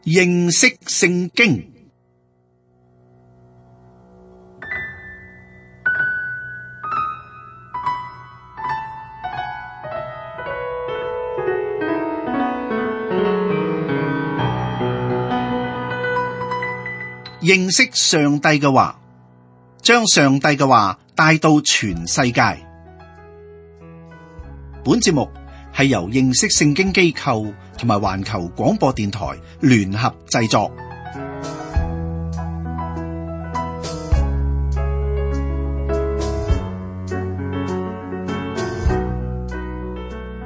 認識聖經。認識上帝嘅話，將上帝嘅話帶到全世界。本節目係由認識聖經機構同埋環球廣播電台聯合製作。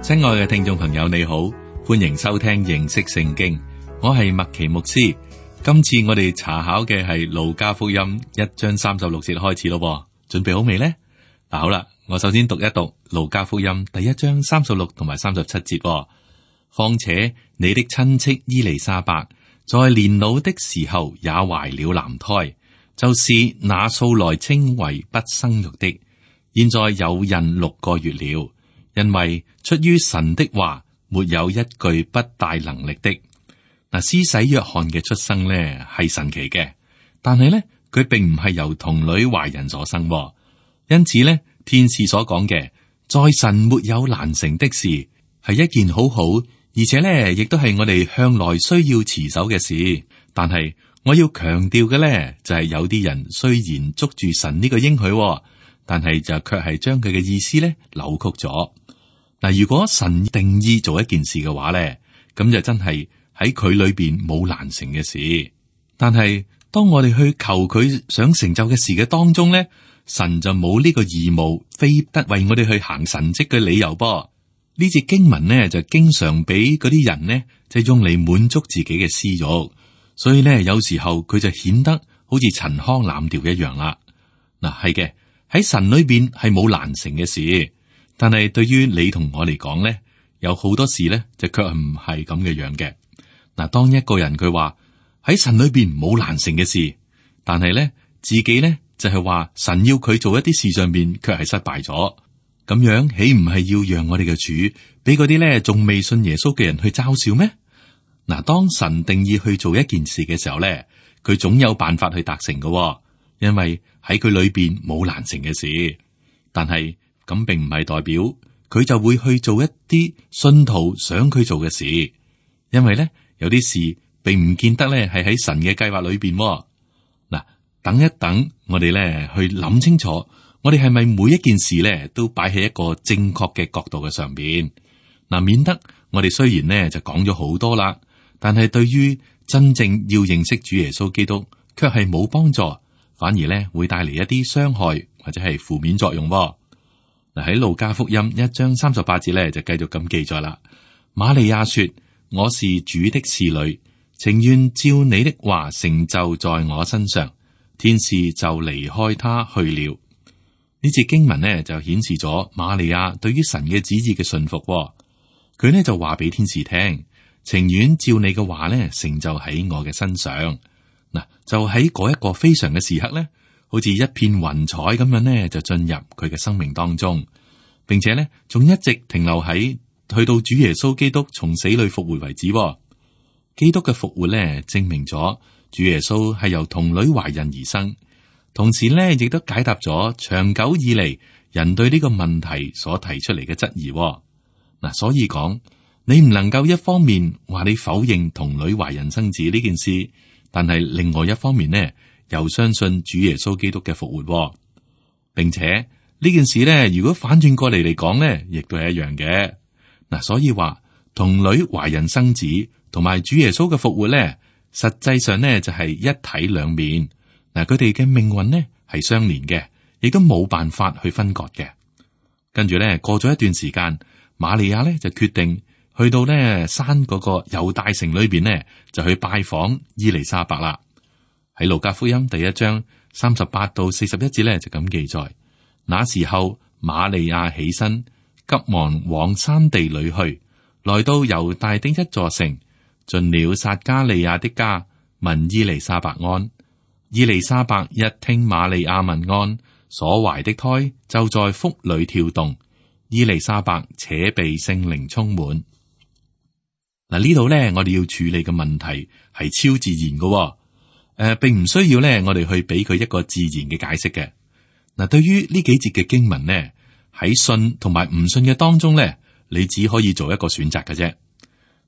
親愛嘅聽眾朋友，你好，歡迎收聽認識聖經，我係麥奇牧師。今次我哋查考嘅係路加福音1章36節開始咯，準備好未呢？好啦，我首先讀一讀路加福音第1章36同埋37節。況且你的親戚伊麗莎白在年老的時候也懷了男胎，就是那素來稱為不生育的，現在有孕6個月了，因為出於神的話，沒有一句不帶能力的。嗱，施洗約翰嘅出生呢係神奇嘅，但係呢佢並唔係由童女懷孕所生，因此呢天使所講嘅在神沒有難成的事係一件好好，而且呢亦都係我哋向來需要持守嘅事。但係我要強調嘅呢就係有啲人雖然捉住神呢個應許，但係就卻係將佢嘅意思呢扭曲咗。嗱，如果神定意做一件事嘅話呢，咁就真係喺佢裏邊冇難成嘅事，但係當我哋去求佢想成就嘅事嘅當中咧，神就冇呢個義務，非得為我哋去行神蹟嘅理由噃。呢節經文呢，就經常俾嗰啲人呢，就用嚟滿足自己嘅私欲，所以咧有時候佢就顯得好似陳腔濫調一樣啦。嗱，係嘅，喺神裏邊係冇難成嘅事，但係對於你同我嚟講咧，有好多事咧就卻唔係咁嘅樣嘅。嗱，當一個人佢話喺神裏邊冇難成嘅事，但係咧自己咧就係話神要佢做一啲事上邊卻係失敗咗，咁樣豈唔係要讓我哋嘅主俾嗰啲咧仲未信耶穌嘅人去嘲笑咩？嗱，當神定義去做一件事嘅時候咧，佢總有辦法去達成嘅，因為喺佢裏邊冇難成嘅事。但係咁並唔係代表佢就會去做一啲信徒想佢做嘅事，因為咧。有啲事並唔見得咧係喺神嘅計劃裏邊。嗱，等一等，我哋咧去諗清楚，我哋係咪每一件事咧都擺喺一個正確嘅角度嘅上邊？嗱，免得我哋雖然咧就講咗好多啦，但係對於真正要認識主耶穌基督，卻係冇幫助，反而咧會帶嚟一啲傷害或者係負面作用。嗱，喺路加福音1章38節咧就繼續咁記載啦。瑪利亞說：我是主的侍女，情願照你的話成就在我身上。天使就離開他去了。呢節經文呢就顯示咗瑪利亞對於神嘅旨意嘅信服。佢呢就話俾天使聽，情願照你嘅話呢成就喺我嘅身上。嗱，就喺嗰一個非常嘅時刻呢，好似一片雲彩咁樣呢，就進入佢嘅生命當中，並且呢仲一直停留喺去到主耶穌基督從死裏復活為止。基督嘅復活咧，證明咗主耶穌係由童女懷孕而生，同時咧亦都解答咗長久以嚟人對呢個問題所提出嚟嘅質疑。嗱，所以講你唔能夠一方面話你否認童女懷孕生子呢件事，但係另外一方面呢，又相信主耶穌基督嘅復活，並且呢件事呢，如果反轉過嚟講呢，亦都係一樣嘅。嗱，所以話童女懷孕生子同埋主耶穌嘅復活咧，實際上咧就係一體兩面。嗱，佢哋嘅命運咧係相連嘅，亦都冇辦法去分割嘅。跟住咧過咗一段時間，瑪利亞咧就決定去到咧山嗰個猶大城裏邊咧，就去拜訪伊麗莎白啦。喺路加福音第1章38到41節咧就咁記載：那時候瑪利亞起身，急忙往山地裏去，來到猶大的一座城，進了撒加利亞的家，問伊麗莎白安。伊麗莎白一聽瑪利亞問安，所懷的胎就在腹裏跳動。伊麗莎白且被聖靈充滿。嗱，呢度咧，我哋要處理嘅問題係超自然嘅，並唔需要咧，我哋去俾佢一個自然嘅解釋嘅。嗱，對於呢幾節嘅經文呢，喺信同埋唔信嘅當中咧，你只可以做一個選擇嘅啫。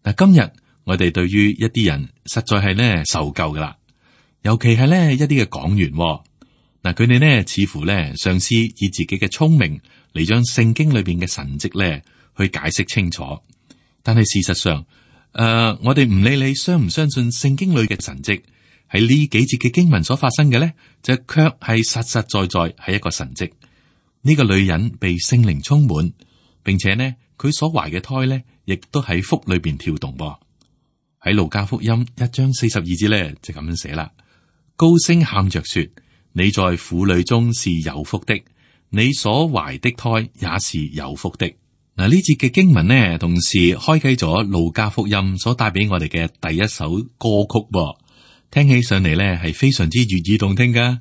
嗱，今日我哋對於一啲人實在係咧受夠噶啦，尤其係咧一啲嘅講員，嗱，佢哋呢似乎咧嘗試以自己嘅聰明嚟將聖經裏邊嘅神蹟咧去解釋清楚，但係事實上，我哋唔理你相唔相信聖經裏嘅神蹟，喺呢幾節嘅經文所發生嘅咧，就卻係實實在在係一個神蹟。呢個女人被聖靈充滿，並且呢，佢所懷嘅胎咧，亦都喺腹裏邊跳動噃。喺路加福音1章42節咧，就咁樣寫啦：高聲喊着說，你在婦女中是有福的，你所懷的胎也是有福的。嗱，呢節嘅經文呢，同時開啟咗路加福音所帶俾我哋嘅第一首歌曲噃，聽起上嚟咧係非常之悅耳動聽噶。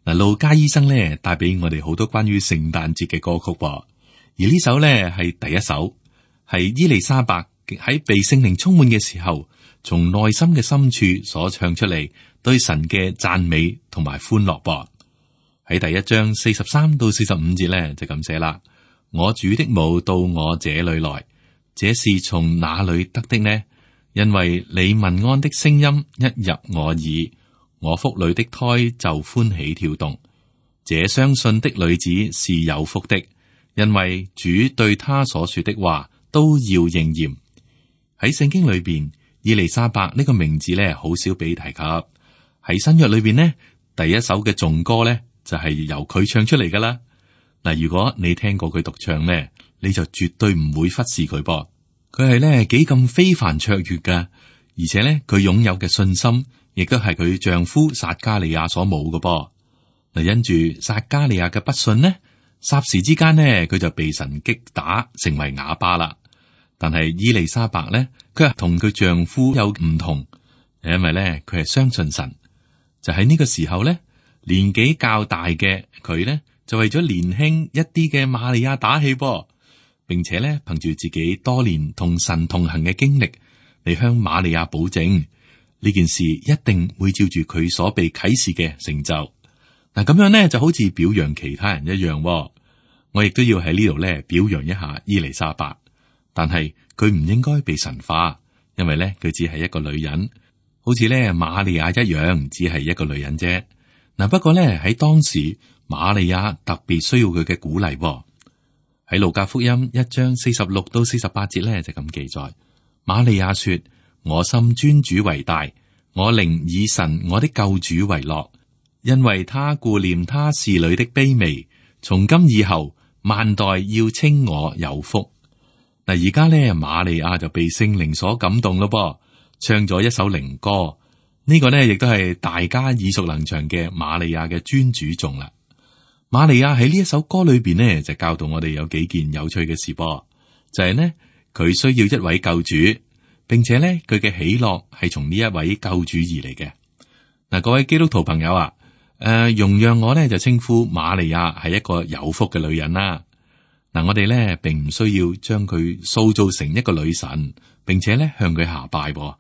嗱，路加醫生咧帶俾我哋好多關於聖誕節嘅歌曲噃，而呢首咧係第一首，係伊麗莎白喺被聖靈充滿嘅時候，從內心嘅深處所唱出嚟對神嘅讚美同埋歡樂噃。喺第一章43到45節咧就咁寫啦。我主的母到我這裏來，這是從哪裏得的呢？因為你問安的聲音一入我耳，我腹裏的胎就歡喜跳動。這相信的女子是有福的，因為主對她所說的話都要應驗。喺聖經裏邊，以利沙伯呢個名字咧好少被提及。喺新約裏邊呢，第一首嘅頌歌咧就係由佢唱出嚟噶啦。嗱，如果你聽過佢獨唱咧，你就絕對唔會忽視佢噃。佢係咧幾咁非凡卓越噶，而且咧佢擁有嘅信心，亦都係佢丈夫撒加利亞所冇嘅噃。嗱，因住撒加利亞嘅不信呢，霎時之間呢，佢就被神擊打成為啞巴啦。但係伊麗莎白咧，佢係同佢丈夫有唔同，因為咧佢係相信神。就喺呢個時候咧，年紀較大嘅佢咧，就為咗年輕一啲嘅瑪利亞打氣噃，並且咧憑住自己多年同神同行嘅經歷嚟向瑪利亞保證呢件事一定會照住佢所被啟示嘅成就。嗱，咁樣咧就好似表揚其他人一樣。我亦都要喺呢度咧表揚一下伊麗莎白，但係佢唔應該被神化，因為咧佢只係一個女人，好似咧瑪利亞一樣，只係一個女人啫。嗱，不過咧喺當時，瑪利亞特別需要佢嘅鼓勵。喺路加福音1章46到48節咧就咁記載，瑪利亞說：我心尊主為大，我靈以神我的救主為樂，因為他顧念他侍女的卑微，從今以後萬代要稱我有福。嗱，而家咧瑪利亞就被聖靈所感動咯噃，唱咗一首靈歌。呢個呢亦都係大家耳熟能詳嘅瑪利亞嘅尊主頌啦。瑪利亞喺呢一首歌裏邊呢，就教導我哋有幾件有趣嘅事噃，就係呢，佢需要一位救主，並且呢，佢嘅喜樂係從呢一位救主而嚟嘅。嗱，各位基督徒朋友啊，容讓我呢就稱呼瑪利亞係一個有福嘅女人啦。嗱，我哋呢並唔需要將佢塑造成一個女神，並且呢向佢下拜噃。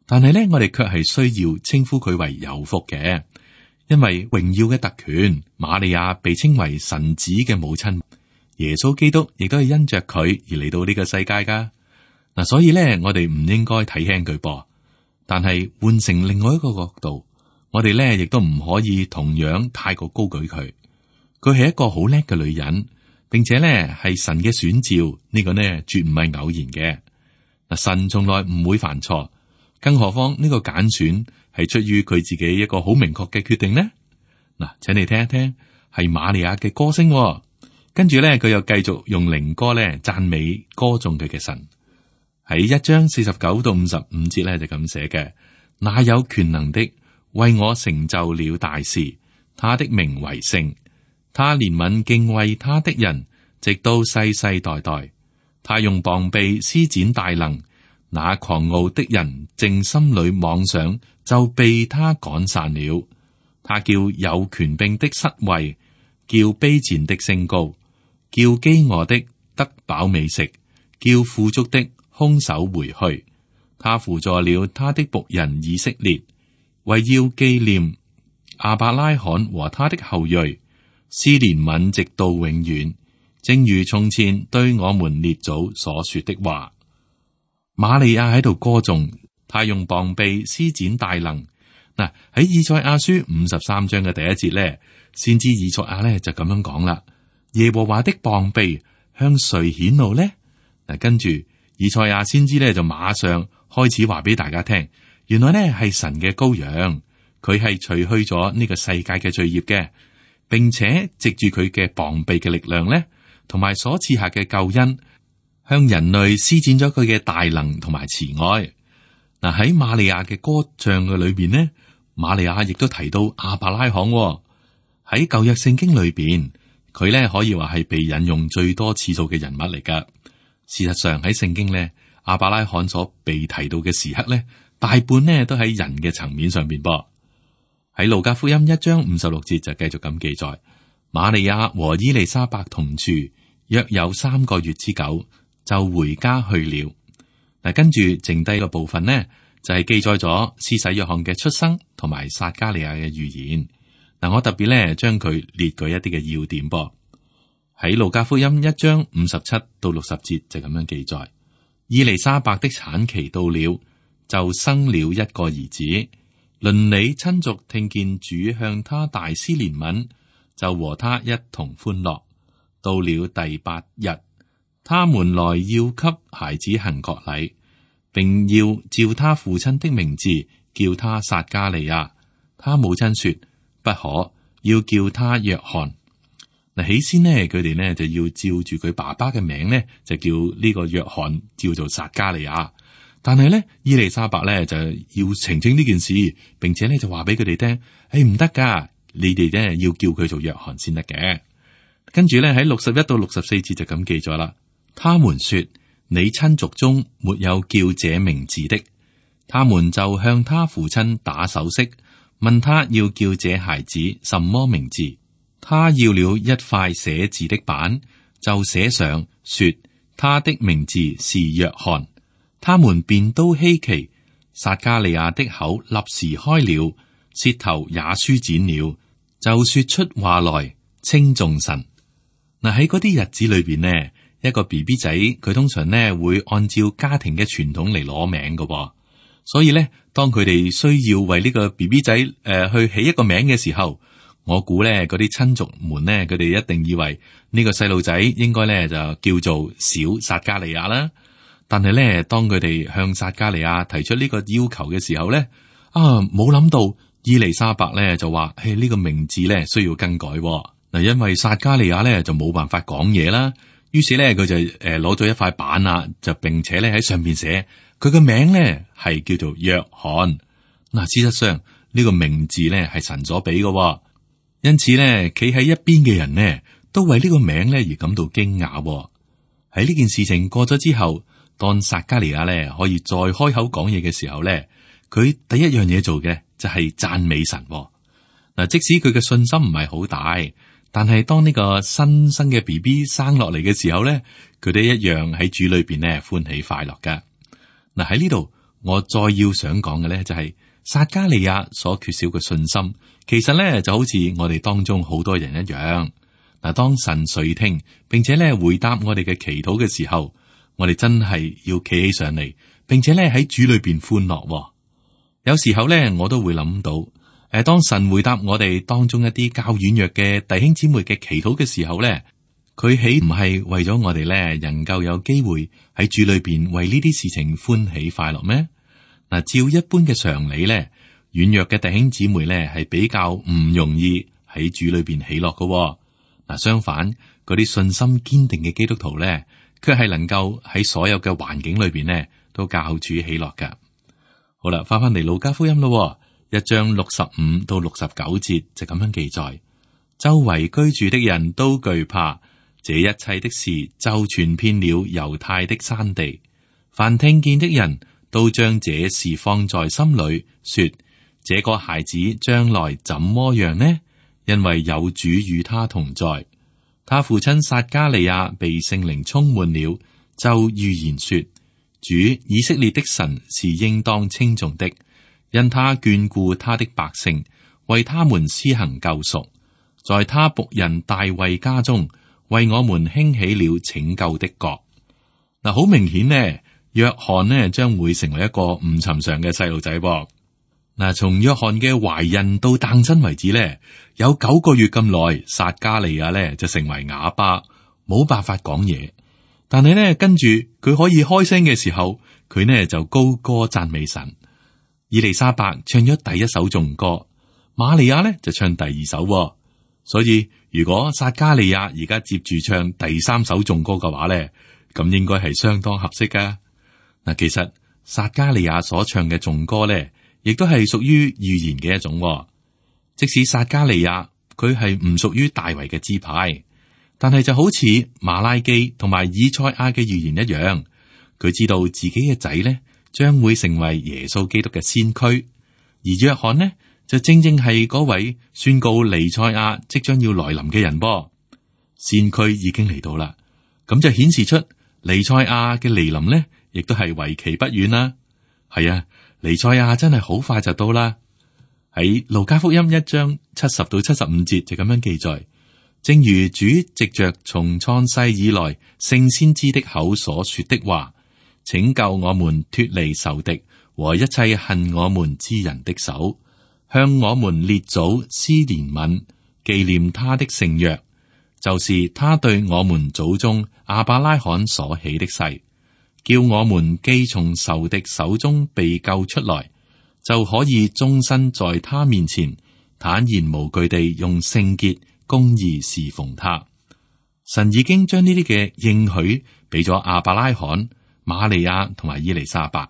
但係咧，我哋卻係需要稱呼佢為有福嘅，因為榮耀嘅特權，瑪利亞被稱為神子嘅母親，耶穌基督亦都係因着佢而嚟到呢個世界噶。嗱，所以咧，我哋唔應該睇輕佢噃。但係換成另外一個角度，我哋咧亦都唔可以同樣太過高舉佢。佢係一個好叻嘅女人，並且咧係神嘅選召，呢個呢絕唔係偶然嘅。嗱，神從來唔會犯錯。更何況呢個揀選係出於佢自己一個好明確嘅決定呢？嗱，請你聽一聽，係瑪利亞嘅歌聲。跟住咧，佢又繼續用靈歌咧讚美歌頌佢嘅神。喺1章49到55節咧就咁寫嘅：那有權能的為我成就了大事，他的名為聖，他憐憫敬畏他的人，直到世世代代。他用膀臂施展大能。那狂傲的人正心裏妄想，就被他趕散了。他叫有權柄的失位，叫卑賤的升高，叫飢餓的得飽美食，叫富足的空手回去。他扶助了他的僕人以色列，為要紀念亞伯拉罕和他的後裔，施憐憫直到永遠，正如從前對我們列祖所說的話。瑪利亞喺度歌頌，他用膀臂施展大能。嗱，喺以賽亞書53章嘅第一節咧，先知以賽亞咧就咁樣講啦：耶和華的膀臂向誰顯露呢？嗱，跟住以賽亞先知咧就馬上開始話俾大家聽，原來咧係神嘅羔羊，佢係除去咗呢個世界嘅罪孽嘅，並且藉住佢嘅膀臂嘅力量咧，同埋所賜下嘅救恩，向人類施展咗佢嘅大能同埋慈愛。嗱，喺瑪利亞嘅歌唱嘅裏邊呢，瑪利亞亦都提到亞伯拉罕喺舊約聖經裏邊，佢咧可以話係被引用最多次數嘅人物嚟噶。事實上喺聖經咧，亞伯拉罕所被提到嘅時刻咧，大半呢都喺人嘅層面上邊噃。喺路加福音1章56節就繼續咁記載，瑪利亞和伊麗莎白同住，約有3個月之久，就回家去了。嗱，跟住剩低嘅部分呢，就係記載咗施洗約翰嘅出生同埋撒迦利亞嘅預言。嗱，我特別咧將佢列舉一啲嘅要點噃。喺路加福音1章57到60節就咁樣記載，伊麗莎白的產期到了，就生了一個兒子。鄰里親族聽見主向他大施憐憫，就和他一同歡樂。到了第8日，他們來要給孩子行割禮，並要照他父親的名字叫他撒迦利亞。他母親說不可，要叫他約翰。嗱，起先呢，佢哋呢就要照住佢爸爸嘅名呢，就叫呢個約翰叫做撒迦利亞。但係呢，伊麗莎白呢就要澄清呢件事，並且呢就話俾佢哋聽，唔得噶，你哋呢要叫佢做約翰先得嘅。跟住呢，喺61到64節就咁記咗啦。他們說，你親族中沒有叫這名字的。他們就向他父親打手勢，問他要叫這孩子什麼名字。他要了一塊寫字的板，就寫上說他的名字是約翰。他們便都稀奇，撒迦利亞的口立時開了，舌頭也舒展了，就說出話來，稱頌神。嗱，喺嗰啲日子裏邊呢，一個 BB 仔佢通常呢會按照家庭嘅傳統嚟攞名噶，所以呢，當佢哋需要為呢個 BB 仔去起一個名嘅時候，我估咧，嗰啲親族們呢，佢哋一定以為呢個細路仔應該咧就叫做小撒迦利亞啦。但係咧，當佢哋向撒迦利亞提出呢個要求嘅時候咧，冇諗到伊麗莎白咧就話，呢個名字咧需要更改嗱，因為撒迦利亞咧就冇辦法講嘢啦。於是咧佢就攞咗一塊板啊，就並且咧喺上邊寫佢嘅名咧係叫做約翰。嗱，事實上呢個名字咧係神所俾嘅。因此咧，企喺一邊嘅人呢，都為呢個名咧而感到驚訝。喺呢件事情過咗之後，當撒迦利亞咧可以再開口講嘢嘅時候咧，佢第一樣嘢做嘅就係讚美神。嗱，即使佢嘅信心唔係好大，但係當呢個新生嘅 BB 生落嚟嘅時候咧，佢哋一樣喺主裏邊咧歡喜快樂噶。嗱，喺呢度，我再要想講嘅咧就係撒迦利亞所缺少嘅信心。其實咧就好似我哋當中好多人一樣，嗱，當神垂聽並且咧回答我哋嘅祈禱嘅時候，我哋真係要企起上嚟，並且咧喺主裏邊歡樂。有時候咧，我都會諗到，當神回答我哋當中一啲較軟弱嘅弟兄姊妹嘅祈禱嘅時候咧，佢豈唔係為咗我哋咧能夠有機會喺主裏邊為呢啲事情歡喜快樂咩？嗱，照一般嘅常理咧，軟弱嘅弟兄姊妹咧，係比較唔容易喺主裏邊喜樂嘅。嗱，相反，嗰啲信心堅定嘅基督徒咧，卻係能夠喺所有嘅環境裏邊咧，都教主喜樂噶。好啦，翻嚟路加福音咯，1章65到69節就咁樣記載：周圍居住的人都懼怕，這一切的事就傳遍了猶太的山地。凡聽見的人都將這事放在心裏，說：這個孩子將來怎麼樣呢？因為有主與他同在。他父親撒迦利亞被聖靈充滿了，就預言說：主以色列的神是應當稱頌的，因他眷顧他的百姓，為他們施行救贖，在他僕人大衛家中，為我們興起了拯救的國。嗱，好明顯呢，約翰呢將會成為一個唔尋常嘅細路仔噃。嗱，從約翰嘅懷孕到誕生為止呢，有9個月咁耐，撒加利亞呢就成為啞巴，冇辦法講嘢。但係呢，跟住佢可以開聲嘅時候，佢呢就高歌讚美神。以利沙伯唱咗第一首頌歌，瑪利亞呢就唱第二首。所以如果撒加利亞而家接住唱第3首頌歌嘅話呢，咁應該係相當合適噶。嗱，其實撒加利亞所唱嘅頌歌呢，亦都係屬於預言嘅一種。即使撒加利亞佢係唔屬於大衛嘅支派，但係就好似馬拉基同埋以賽亞嘅預言一樣，佢知道自己嘅仔呢將會成為耶穌基督嘅先驅，而約翰呢就正正係嗰位宣告彌賽亞即將要來臨嘅人噃。先驅已經嚟到啦，咁就顯示出彌賽亞嘅嚟臨呢，亦都係為期不遠啦。係啊，彌賽亞真係好快就到啦。喺路加福音1章70到75節就咁樣記載，正如主藉着從創世以來聖先知的口所說的話，拯救我們脫離仇敵和一切恨我們之人的手，向我們列祖施憐憫，紀念他的聖約，就是他對我們祖宗亞伯拉罕所起的誓，叫我們既從仇敵手中被救出來，就可以終身在他面前坦然無懼地用聖潔公義侍奉他。神已經將呢啲嘅應許俾咗亞伯拉罕、瑪利亞同埋以利沙伯，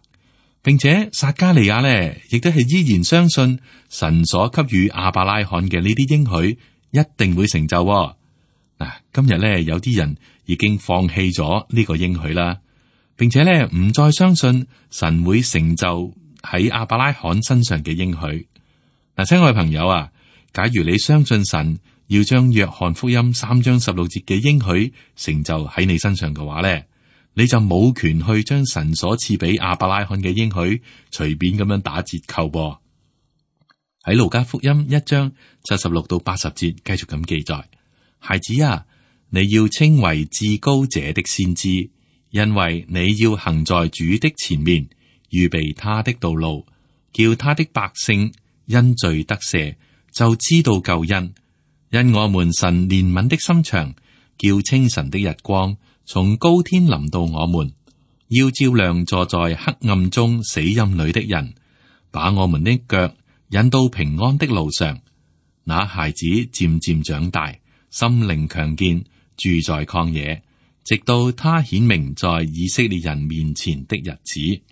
並且撒加利亞呢亦都係依然相信神所給予亞伯拉罕嘅呢啲應許一定會成就。嗱，今日呢有啲人已經放棄咗呢個應許啦，並且呢唔再相信神會成就喺亞伯拉罕身上嘅應許。嗱，親愛朋友啊，假如你相信神要將約翰福音3章16節嘅應許成就喺你身上嘅話咧，你就冇權去將神所賜俾亞伯拉罕嘅應許隨便咁樣打折扣噃。喺路加福音1章76到80節繼續咁記載：孩子啊，你要稱為至高者的先知，因為你要行在主的前面，預備他的道路，叫他的百姓因罪得赦，就知道救恩。因我們神憐憫的心腸，叫清晨的日光從高天臨到我們，要照亮坐在黑暗中死蔭裏的人，把我們的腳引到平安的路上。那孩子漸漸長大，心靈強健，住在曠野，直到他顯明在以色列人面前的日子。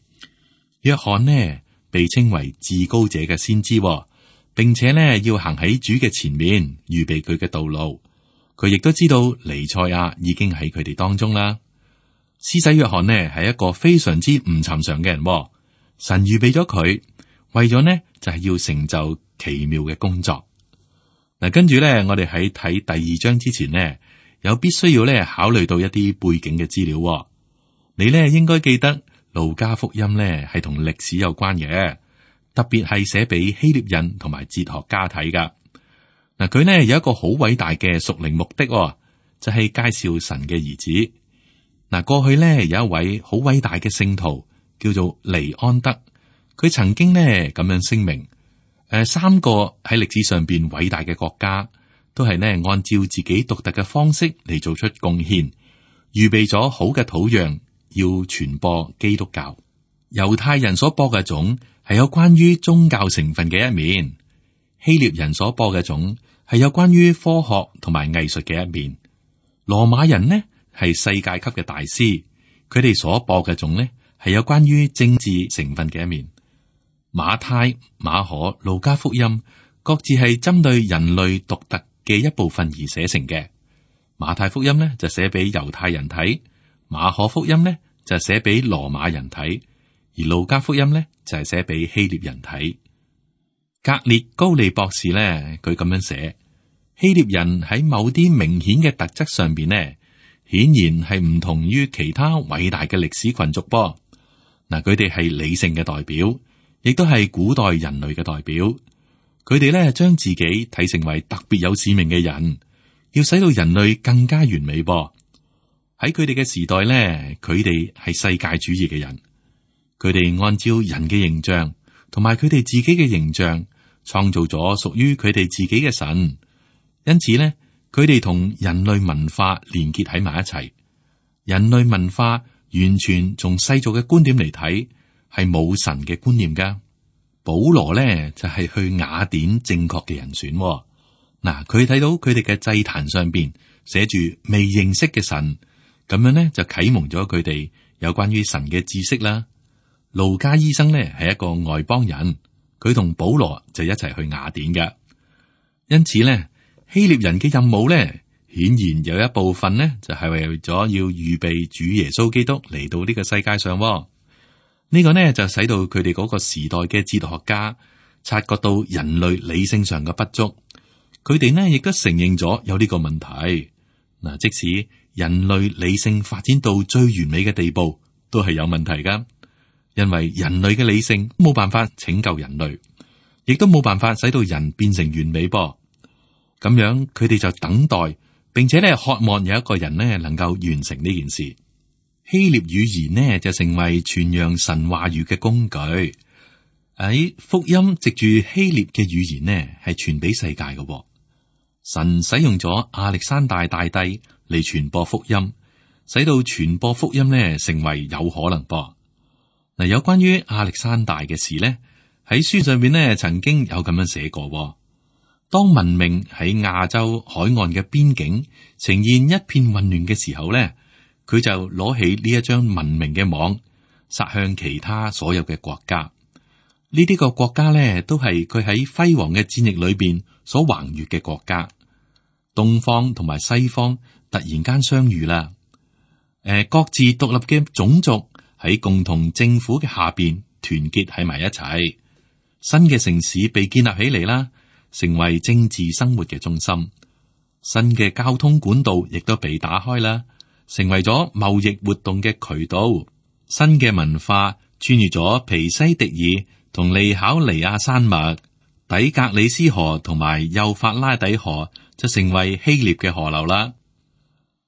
約翰呢被稱為至高者嘅先知，並且呢要行喺主嘅前面，預備佢嘅道路。佢亦都知道彌賽亞已經喺佢哋當中啦。施洗約翰呢係一個非常之唔尋常嘅人，神預備咗佢，為咗呢就係要成就奇妙嘅工作。嗱，跟住呢我哋喺睇第2章之前呢，有必須要呢考慮到一啲背景嘅資料。你呢應該記得路加福音呢係同歷史有關嘅，特別係寫俾希臘人同埋哲學家睇噶。嗱，佢呢有一個好偉大嘅屬靈目的，就係介紹神嘅兒子。嗱，過去呢有一位好偉大嘅聖徒叫做尼安德，佢曾經呢咁樣聲明：3個喺歷史上邊偉大嘅國家，都係呢按照自己獨特嘅方式嚟做出貢獻，預備咗好嘅土壤，要傳播基督教。猶太人所播嘅種係有關於宗教成分嘅一面，希臘人所播嘅種係有關於科學同埋藝術嘅一面。羅馬人呢係世界級嘅大師，佢哋所播嘅種呢係有關於政治成分嘅一面。馬太、馬可、路加福音各自係針對人類獨特嘅一部分而寫成嘅。馬太福音呢就寫俾猶太人睇，馬可福音呢就寫俾羅馬人睇，而路加福音呢就係寫俾希臘人睇。格列高利博士呢，佢咁樣寫：希臘人喺某啲明顯嘅特質上邊呢，顯然係唔同於其他偉大嘅歷史群族噃。嗱，佢哋係理性嘅代表，亦都係古代人類嘅代表。佢哋咧將自己睇成為特別有使命嘅人，要使到人類更加完美噃。喺佢哋嘅時代咧，佢哋係世界主義嘅人，佢哋按照人嘅形象同埋佢哋自己嘅形象，創造咗屬於佢哋自己嘅神。因此咧，佢哋同人類文化連結喺埋一齊。人類文化完全從世俗嘅觀點嚟睇，係冇神嘅觀念噶。保羅咧就係去雅典正確嘅人選。嗱，佢睇到佢哋嘅祭壇上邊寫住未認識嘅神，咁樣咧就啟蒙咗佢哋有關於神嘅知識啦。路加醫生咧係一個外邦人，佢同保羅就一齊去雅典嘅。因此咧，希臘人嘅任務咧，顯然有一部分呢，就係為咗要預備主耶穌基督嚟到呢個世界上。呢個呢，就使到佢哋嗰個時代嘅哲學家察覺到人類理性上嘅不足，佢哋呢亦都承認咗有呢個問題。嗱，即使人類理性發展到最完美嘅地步，都係有問題噶，因為人類嘅理性冇辦法拯救人類，亦都冇辦法使到人變成完美噃。咁樣佢哋就等待，並且咧渴望有一個人呢能夠完成呢件事。希臘語言呢就成為傳揚神話語嘅工具。喺福音藉住希臘嘅語言呢係傳俾世界嘅。神使用咗亞歷山大大帝嚟傳播福音，使到傳播福音呢成為有可能噃。嗱，有關於亞歷山大嘅事呢，喺書上面呢曾經有咁樣寫過。當文明喺亞洲海岸嘅邊境呈現一片混亂嘅時候呢，佢就攞起呢一張文明嘅網，撒向其他所有嘅國家。呢啲個國家呢，都係佢喺輝煌嘅戰役裏邊所橫越嘅國家。東方同埋西方突然間相遇啦，各自獨立嘅種族喺共同政府嘅下邊團結喺埋一齊，新嘅城市被建立起嚟啦，成為政治生活嘅中心。新嘅交通管道亦都被打開啦，成為咗貿易活動嘅渠道。新嘅文化穿越咗皮西迪爾同利考尼亞山脈，底格里斯河同埋幼發拉底河就成為希臘嘅河流啦。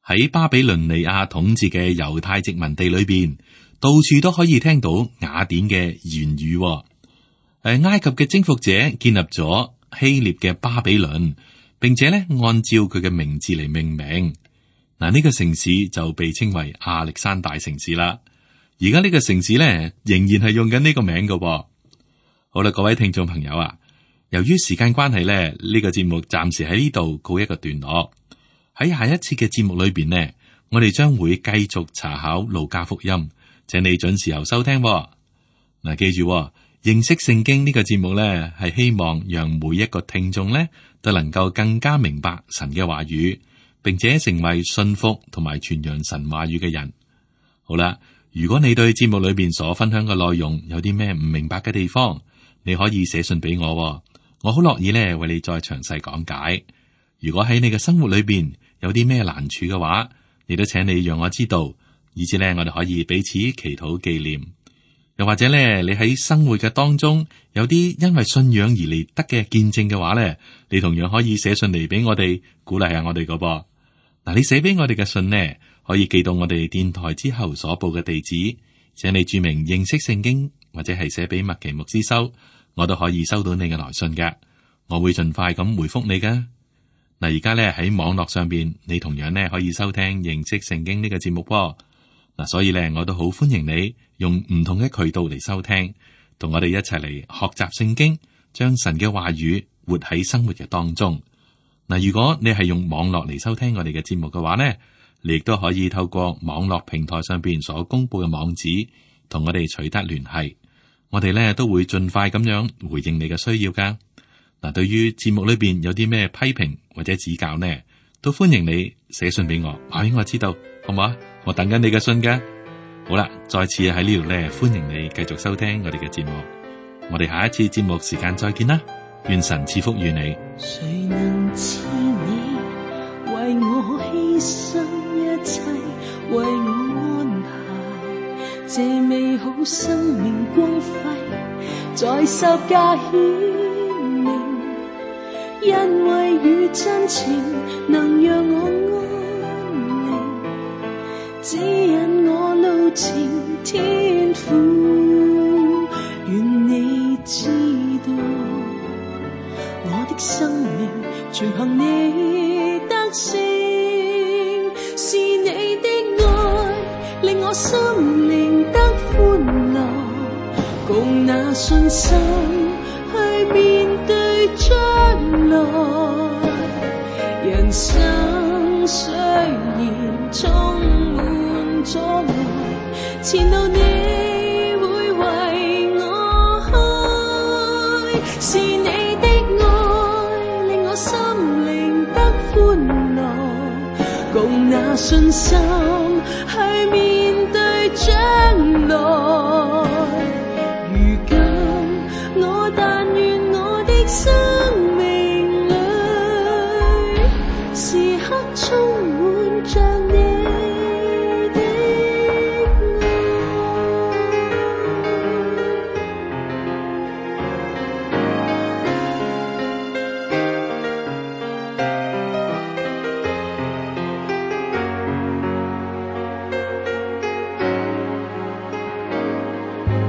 喺巴比倫尼亞統治嘅猶太殖民地裏邊，到處都可以聽到雅典嘅言語。埃及嘅征服者建立咗希臘嘅巴比倫，並且咧按照佢嘅名字嚟命名。嗱，呢個城市就被稱為亞歷山大城市啦。而家呢個城市咧仍然係用緊呢個名㗎。好啦，各位聽眾朋友啊，由於時間關係咧，呢個節目暫時喺呢度告一個段落。喺下一次嘅節目裏邊呢，我哋將會繼續查考路加福音，請你準時候收聽。嗱，記住，認識聖經呢個節目呢，係希望讓每一個聽眾呢都能夠更加明白神嘅話語，並且成為信服同埋傳揚神話語嘅人。好啦，如果你對節目裏邊所分享嘅內容有啲咩唔明白嘅地方，你可以寫信俾我，我好樂意呢為你再詳細講解。如果喺你嘅生活裏邊有啲咩難處嘅話，亦都請你讓我知道，以至呢我哋可以彼此祈禱紀念。又或者咧，你喺生活嘅當中有啲因為信仰而嚟得嘅見證嘅話咧，你同樣可以寫信嚟俾我哋，鼓勵下我哋噶噃。嗱，你寫俾我哋嘅信呢，可以寄到我哋電台之後所報嘅地址，請你注明認識聖經，或者係寫俾麥奇牧師收，我都可以收到你嘅來信嘅，我會盡快咁回覆你噶。嗱，而家咧喺網絡上邊，你同樣咧可以收聽認識聖經呢個節目噃。嗱，所以咧，我都好歡迎你用唔同嘅渠道嚟收聽，同我哋一齊嚟學習聖經，將神嘅話語活喺生活嘅當中。嗱，如果你係用網絡嚟收聽我哋嘅節目嘅話呢，你亦都可以透過網絡平台上邊所公布嘅網址，同我哋取得聯繫。我哋咧都會盡快咁樣回應你嘅需要噶。嗱，對於節目裏邊有啲咩批評或者指教呢，都歡迎你寫信俾我，話俾我知道，好唔好啊？我等緊你嘅信噶。好啦，再次喺呢度咧，歡迎你繼續收聽我哋嘅節目。我哋下一次節目時間再見啦，願神賜福與你。誰能似你為我犧牲一切，為我安排這美好生命光輝在十架顯明，因為與真情能讓我安寧，指引我路程天父，願你知道我的生命全憑你得勝，是你的愛令我心靈得歡樂，共那信心去面對將來。人生雖然充滿阻礙，前路你會為我開，是你的愛令我心靈得歡樂，共那信心去面對將來。如今我但願我的生命裏時刻充滿着你的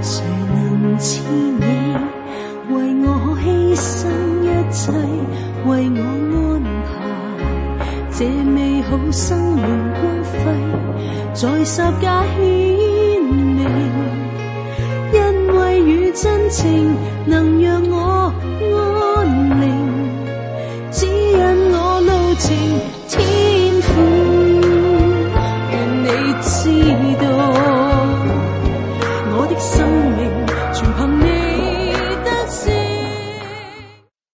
誰能似你為我犧牲一切，為我安排這美好生命光輝在十架顯明，因為與真情能讓我安寧，指引我路程天父，願你知